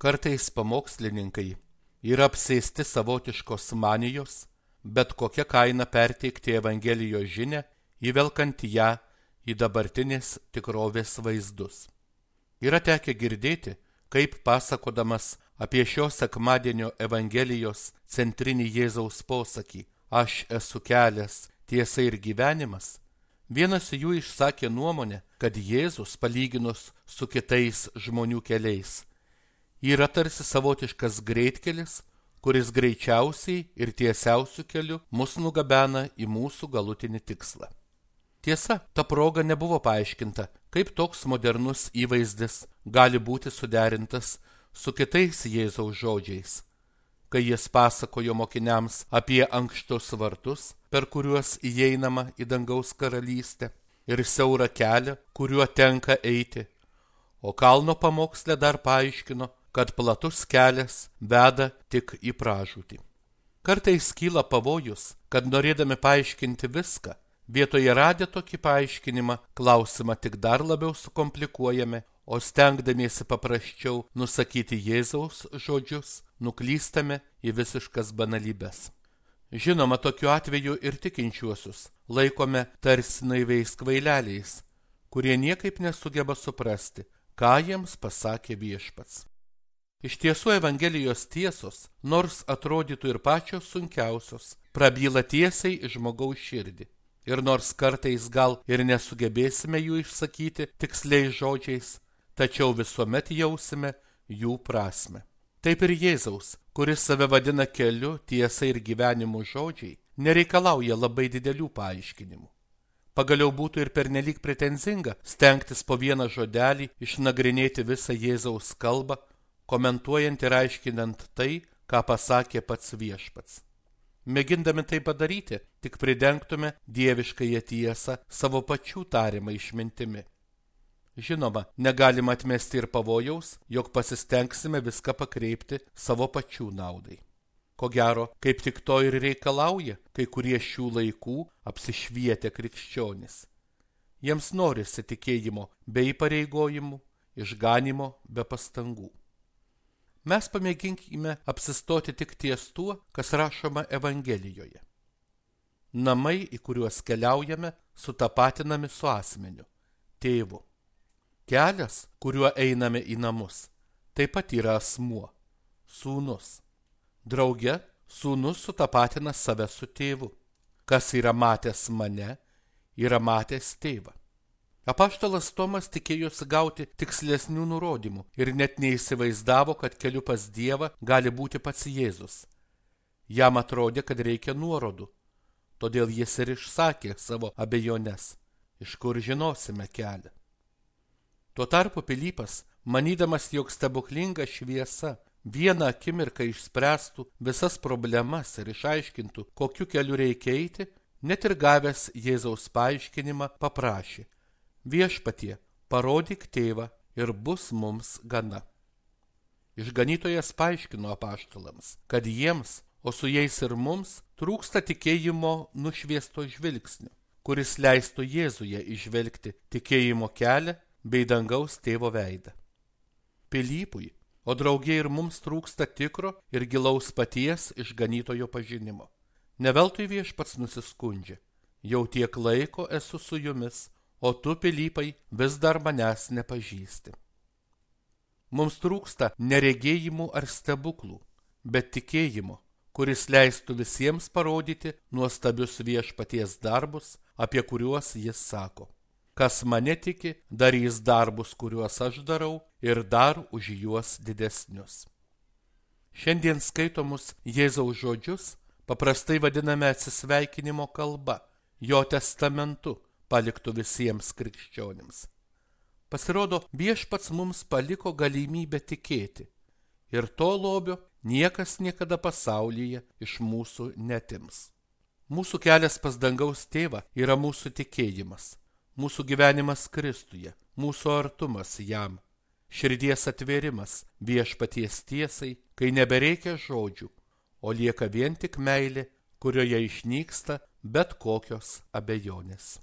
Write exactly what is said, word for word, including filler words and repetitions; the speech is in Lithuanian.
Kartais pamokslininkai yra apsėsti savotiškos manijos, bet kokia kaina perteikti Evangelijos žinią, įvelkant ją į dabartinės tikrovės vaizdus. Yra tekę girdėti, kaip pasakodamas apie šio sekmadienio Evangelijos centrinį Jėzaus posakį "Aš esu kelias, tiesa ir gyvenimas", vienas jų išsakė nuomonę, kad Jėzus, palyginus su kitais žmonių keliais, yra tarsi savotiškas greitkelis, kuris greičiausiai ir tiesiausiu keliu mus nugabena į mūsų galutinį tikslą. Tiesa, ta proga nebuvo paaiškinta, kaip toks modernus įvaizdis gali būti suderintas su kitais Jėzaus žodžiais, kai jis pasakojo mokiniams apie ankštus vartus, per kuriuos įeinama į dangaus karalystę, ir siaurą kelią, kuriuo tenka eiti, o kalno pamoksle dar paaiškino, kad platus kelias veda tik į pražūtį. Kartais kyla pavojus, kad norėdami paaiškinti viską, vietoje radę tokį paaiškinimą, klausimą tik dar labiau sukomplikuojame, o stengdamiesi paprasčiau nusakyti Jėzaus žodžius, nuklystame į visiškas banalybes. Žinoma, tokiu atveju ir tikinčiuosius laikome tarsi naiviais kvaileliais, kurie niekaip nesugeba suprasti, ką jiems pasakė Viešpats. Iš tiesų Evangelijos tiesos, nors atrodytų ir pačios sunkiausios, prabyla tiesiai į žmogaus širdį. Ir nors kartais gal ir nesugebėsime jų išsakyti tiksliais žodžiais, tačiau visuomet jausime jų prasme. Taip ir Jėzaus, kuris save vadina keliu, tiesa ir gyvenimu žodžiai, nereikalauja labai didelių paaiškinimų. Pagaliau būtų ir pernelyg pretenzinga stengtis po vieną žodelį išnagrinėti visą Jėzaus kalbą, komentuojant ir aiškinant tai, ką pasakė pats Viešpats. Mėgindami tai padaryti, tik pridengtume dieviškąją tiesą savo pačių tariamą išmintimi. Žinoma, negalima atmesti ir pavojaus, jog pasistengsime viską pakreipti savo pačių naudai. Ko gero, kaip tik to ir reikalauja kai kurie šių laikų apsišvietę krikščionys. Jiems norisi tikėjimo be įpareigojimų, išganimo be pastangų. Mes pamėginkime apsistoti tik ties tuo, kas rašoma Evangelijoje. Namai, į kuriuos keliaujame, sutapatinami su asmeniu, tėvu. Kelias, kuriuo einame į namus, taip pat yra asmuo, sūnus. Drauge, sūnus sutapatina save su tėvu. Kas yra matęs mane, yra matęs tėvą. Apaštalas Tomas tikėjosi gauti tikslesnių nurodymų ir net neįsivaizdavo, kad keliu pas Dievą gali būti pats Jėzus. Jam atrodė, kad reikia nuorodų, todėl jis ir išsakė savo abejones, iš kur žinosime kelią. Tuo tarpu Pilypas, manydamas, jog stebuklinga šviesa vieną akimirką išspręstų visas problemas ir išaiškintų, kokiu keliu reikia eiti, net ir gavęs Jėzaus paaiškinimą paprašė: Viešpatie, parodyk tėvą ir bus mums gana. Išganytojas paaiškino apaštalams, kad jiems, o su jais ir mums, trūksta tikėjimo nušviesto žvilgsnio, kuris leistų Jėzuje įžvelgti tikėjimo kelią bei dangaus tėvo veidą. Pilypui, o draugė ir mums trūksta tikro ir gilaus paties išganytojo pažinimo. Neveltui Viešpats nusiskundžia: jau tiek laiko esu su jumis, o tu, Pilypai, vis dar manęs nepažįsti. Mums trūksta neregėjimų ar stebuklų, bet tikėjimo, kuris leistų visiems parodyti nuostabius Viešpaties darbus, apie kuriuos jis sako: kas mane tiki, darys darbus, kuriuos aš darau, ir dar už juos didesnius. Šiandien skaitomus Jėzaus žodžius paprastai vadiname atsisveikinimo kalba, jo testamentu, paliktų visiems krikščionims. Pasirodo, Viešpats mums paliko galimybę tikėti, ir to lobio niekas niekada pasaulyje iš mūsų netims. Mūsų kelias pas dangaus tėvą yra mūsų tikėjimas, mūsų gyvenimas Kristuje, mūsų artumas jam, širdies atvėrimas Viešpaties tiesai, kai nebereikia žodžių, o lieka vien tik meilė, kurioje išnyksta bet kokios abejonės.